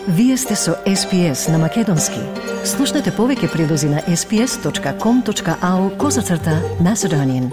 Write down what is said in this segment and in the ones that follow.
Вие сте со SPS на Македонски. Слушнете повеќе прилози на sps.com.au/Macedonian.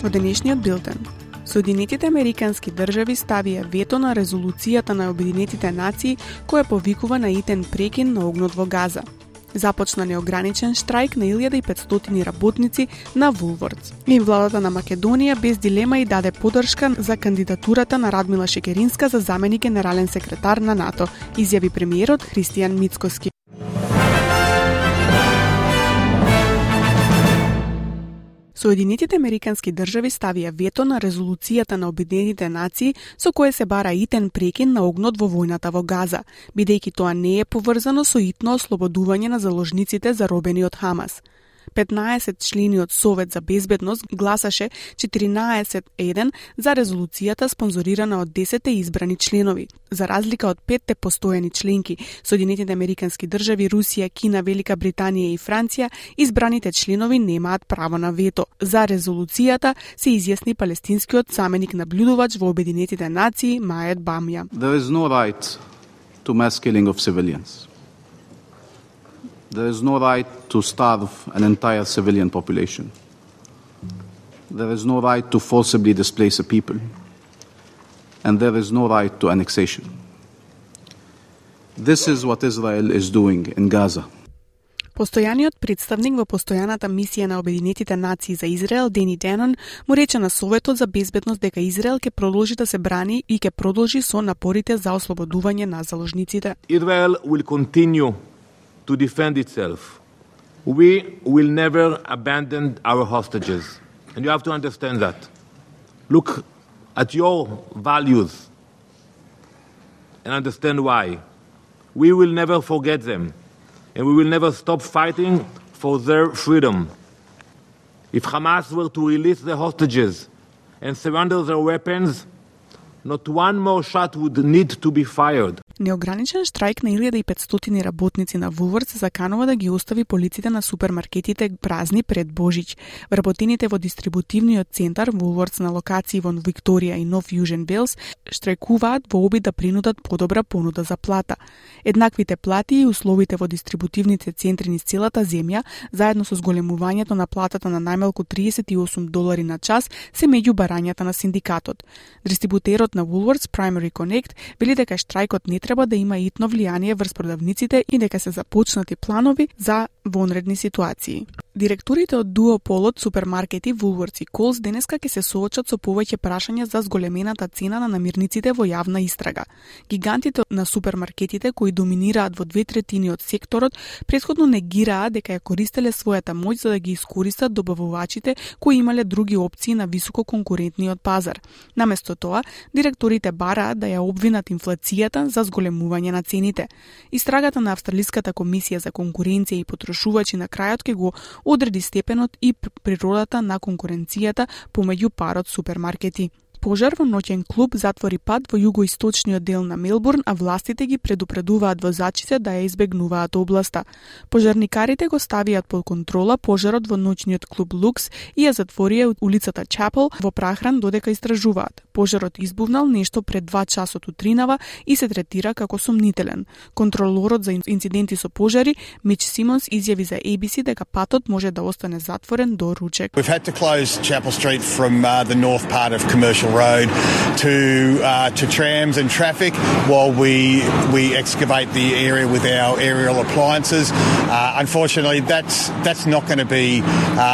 Во денешниот билтен, Соединетите Американски држави ставија вето на резолуцијата на Обединетите нации која повикува на итен прекин на огнот во Газа. Започна неограничен штрајк на 1500 работници на Woolworths. И владата на Македонија без дилема и даде поддршка за кандидатурата на Радмила Шекеринска за заменик генерален секретар на НАТО, изјави премиерот Христијан Мицкоски. Соединетите Американски држави ставија вето на резолуцијата на Обединетите нации со кое се бара итен прекин на огнот во војната во Газа, бидејќи тоа не е поврзано со итно ослободување на заложниците заробени од Хамас. 15 члени од Совет за безбедност гласаше 14-1 за резолуцијата спонзорирана од 10 избрани членови. За разлика од 5 постојани членки, Соединетите Американски држави, Русија, Кина, Велика Британија и Франција, избраните членови немаат право на вето. За резолуцијата се изјасни палестинскиот заменик наблюдувач во Обединетите нации Маед Бамја. There is no right to mass killing of civilians. There is no right to starve an entire civilian population. There is no right to forcibly displace a people. And there is no right to annexation. This is what Israel is doing in Gaza. Постојаниот представник во постојаната мисија на Обединетите нации за Израел, Дени Денон, му рече на Советот за безбедност дека Израел ќе продолжи да се брани и ќе продолжи со напорите за ослободување на заложниците. Israel will continue to defend itself. We will never abandon our hostages. And you have to understand that. Look at your values and understand why. We will never forget them. And we will never stop fighting for their freedom. If Hamas were to release their hostages and surrender their weapons, not one more shot would need to be fired. Неограничен штрајк на 1500 работници на Woolworths се заканува да ги остави полиците на супермаркетите празни пред Божич. Вработените во дистрибутивниот центар Woolworths на локации во Викторија и Нов Јужен Велс штрајкуваат во обид да принудат подобра понуда за плата. Еднаквите плати и условите во дистрибутивните центри низ целата земја, заедно со зголемувањето на платата на најмалку $38 на час, се меѓу барањата на синдикатот. Дистрибутерот на Woolworths Primary Connect вели дека штрајкот не треба да има итно влијание врз продавниците и дека се започнати планови за вонредни ситуации. Директорите од дуополот супермаркети Woolworths и Coles денеска ќе се соочат со повеќе прашања за зголемената цена на намирниците во јавна истрага. Гигантите на супермаркетите кои доминираат во 2/3 од секторот претходно негираа дека ја користеле својата моќ за да ги искористат добавувачите кои имале други опции на високо конкурентниот пазар. Наместо тоа, директорите бараат да ја обвинат инфлацијата за зголемување на цените. Истрагата на Австралиската комисија за конкуренција и потрошувачи на крајот ќе го одреди степенот и природата на конкуренцијата помеѓу парот супермаркети. Пожар во ноќен клуб затвори пат во југоисточниот дел на Мелбурн, а властите ги предупредуваат возачите да ја избегнуваат областа. Пожарникарите го ставиат под контрола пожарот во ноќниот клуб Лукс и ја затворија улицата Чапел во прахран додека истражуваат. Пожарот избувнал нешто пред 2 часот утринава и се третира како сомнителен. Контролорот за инциденти со пожари, Мич Симонс, изјави за ABC дека патот може да остане затворен до ручек. We've had to close Chapel Street from the north part of Commercial Road to trams and traffic while we excavate the area with our aerial appliances. Unfortunately, that's not going to be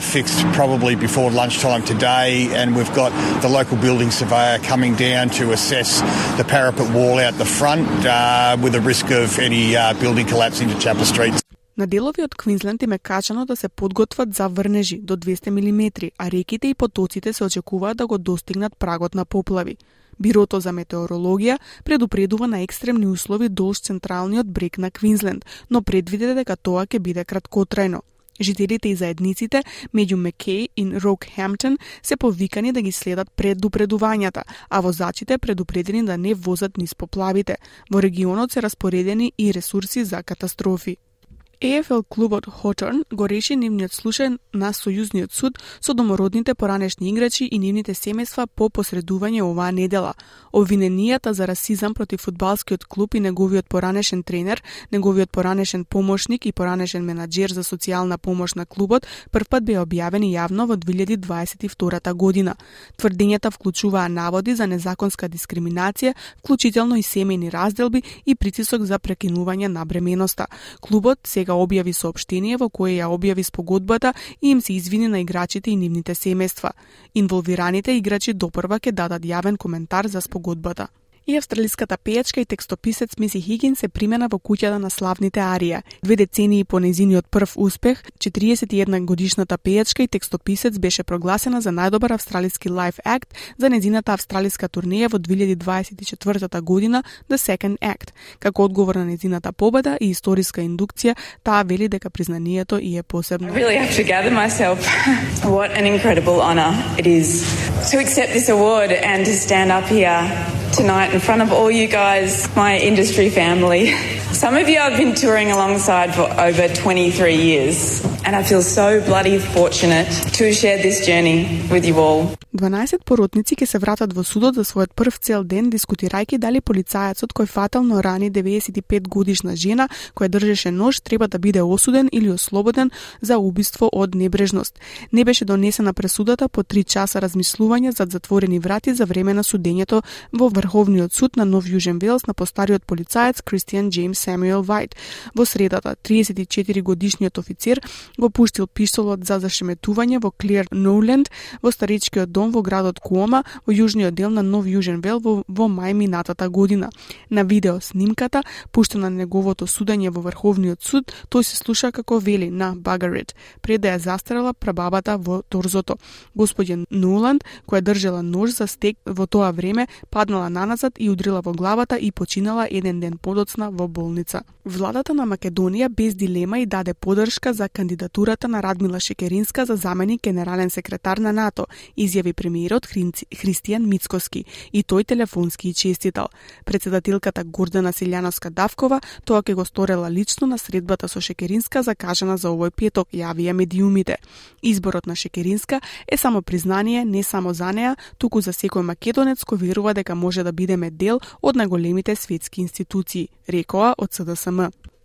fixed probably before lunchtime today, and we've got the local building surveyor coming down to assess the parapet wall out the front with a risk of any building collapse into Chapel Street. На делови од Квинсленд им е качано да се подготват за врнежи до 200 мм, а реките и потоците се очекуваат да го достигнат прагот на поплави. Бирото за метеорологија предупредува на екстремни услови долж централниот брег на Квинсленд, но предвиде дека тоа ќе биде краткотрајно. Жителите и заедниците меѓу Мекеј и Рокхемптон се повикани да ги следат предупредувањата, а возачите предупредени да не возат низ поплавите. Во регионот се распоредени и ресурси за катастрофи. ЕФЛ клубот Хоторн го реши нивниот случај на Сојузниот суд со домородните поранешни играчи и нивните семејства по посредување оваа недела. Обвиненијата за расизам против фудбалскиот клуб и неговиот поранешен тренер, неговиот поранешен помошник и поранешен менаџер за социјална помош на клубот првпат беа објавени јавно во 2022 година. Тврдењата вклучуваа наводи за незаконска дискриминација, вклучително и семејни разделби и притисок за прекинување на бременоста. Клубот сега објави соопштение во кое ја објави спогодбата и им се извини на играчите и нивните семејства. Инволвираните играчи допрва ќе дадат јавен коментар за спогодбата. И австралиската пејачка и текстописец Миси Хигин се примена во куќата на славните Арија. 2 децении по нејзиниот прв успех, 41 годишната пејачка и текстописец беше прогласена за најдобар австралиски лайв акт за нејзината австралиска турнеја во 2024 година The Second Act. Како одговор на нејзината победа и историска индукција, таа вели дека признанието и е посебно. I really have to gather myself. What an incredible honor it is to accept this award and to stand up here tonight in front of all you guys, my industry family. Some of you I've been touring alongside for over 23 years, and I feel so bloody fortunate to share this journey with you all. 12 поротници ќе се вратат во судот за својот прв цел ден, дискутирајќи дали полицајецот кој фатално рани 95 годишна жена која држеше нож треба да биде осуден или ослободен за убиство од небрежност. Не беше донесена пресудата по 3 часа размислување зад затворени врати за време на судењето во Врховниот суд на Нов Јужен Велс на постариот полицаец Кристијан Џејмс Самуел Вајт. Во средата, 34 годишниот офицер го пуштил пиштолот за зашеметување во Клер Ноуленд во старичкиот дом во градот Куома во јужниот дел на Нов Јужен Вел во мај минатата година. На видео снимката, пуштена на неговото судење во Врховниот суд, тој се слуша како вели на Багарит, пред да ја застрела прабабата во торзото. Господја Ноуланд, која држела нож за стек во тоа време, паднала наназад и удрила во главата и починала еден ден подоцна во болница. Владата на Македонија без дилема и даде поддршка за кандидатурата на Радмила Шекеринска за заменик генерален секретар на НАТО, изјави премиерот Христијан Мицкоски, и тој телефонски и честитал. Председателката Гордана Силјановска-Давкова тоа ќе го сторела лично на средбата со Шекеринска закажана за овој петок, јавија медиумите. Изборот на Шекеринска е само признание не само за неа, туку за секој македонец кој верува дека може да бидеме дел од најголемите светски институции, рекоа од СДСМ.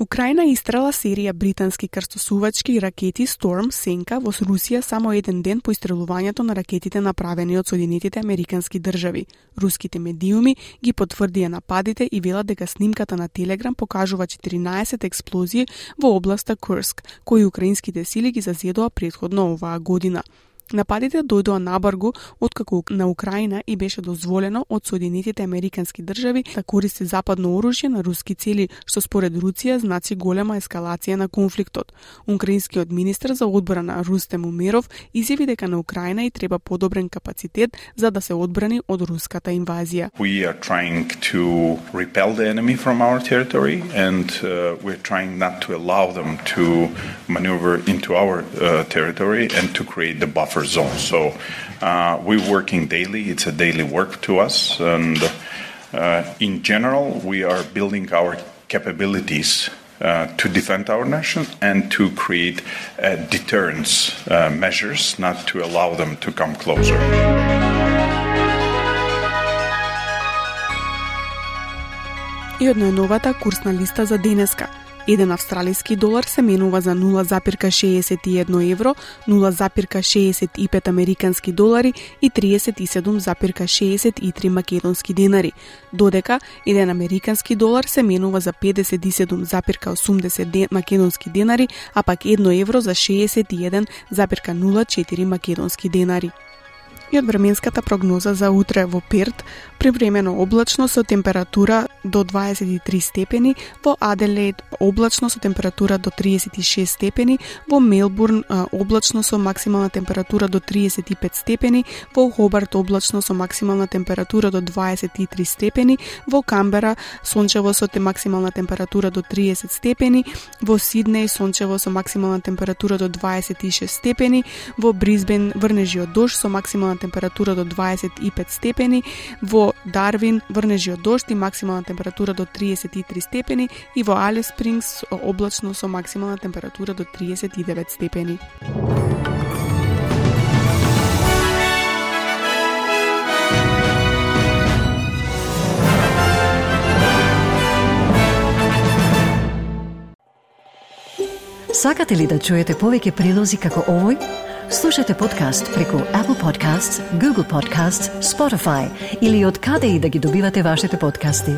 Украина истрела серија британски крстосувачки ракети Storm Сенка во Русија само еден ден по истрелувањето на ракетите направени од Соединетите Американски држави. Руските медиуми ги потврдија нападите и велат дека снимката на Телеграм покажува 14 експлозии во областа Курск, кои украинските сили ги зазедоа претходно оваа година. Нападите дојдоа набргу откако на Украина и беше дозволено од Соединетите Американски држави да користи западно оружје на руски цели, што според Русија значи голема ескалација на конфликтот. Украинскиот министер за одбрана Рустем Умеров изјави дека на Украина и треба подобрен капацитет за да се одбрани од руската инвазија. We are trying to repel the enemy from our territory and we're trying not to allow them to maneuver into our territory and to create the buffer zone. So we're working daily. It's a daily work to us. And in general, we are building our capabilities to defend our nation and to create deterrence measures, not to allow them to come closer. И од најновата курсна листа за денеска. Еден австралиски долар се менува за 0,61 евро, 0,65 американски долари и 37,63 македонски денари, додека еден американски долар се менува за 57,80 македонски денари, а пак 1 евро за 61,04 македонски денари. И од временската прогноза за утре во Перт, привремено облачно со температура до 23 степени, во Аделаид облачно со температура до 36 степени, во Мелбурн облачно со максимална температура до 35 степени, во Хобарт облачно со максимална температура до 23 степени, во Камбера сончево со максимална температура до 30 степени, во Сиднеј сончево со максимална температура до 26 степени, во Брисбен врнежи од дожд со максимална максимална температура до 25 степени, во Дарвин врнежи од дожд и максимална температура до 33 степени и во Алис Спрингс облачно со максимална температура до 39 степени. Сакате ли да чуете повеќе прилози како овој? Слушате подкаст преку Apple Podcasts, Google Podcasts, Spotify или од каде и да ги добивате вашите подкасти.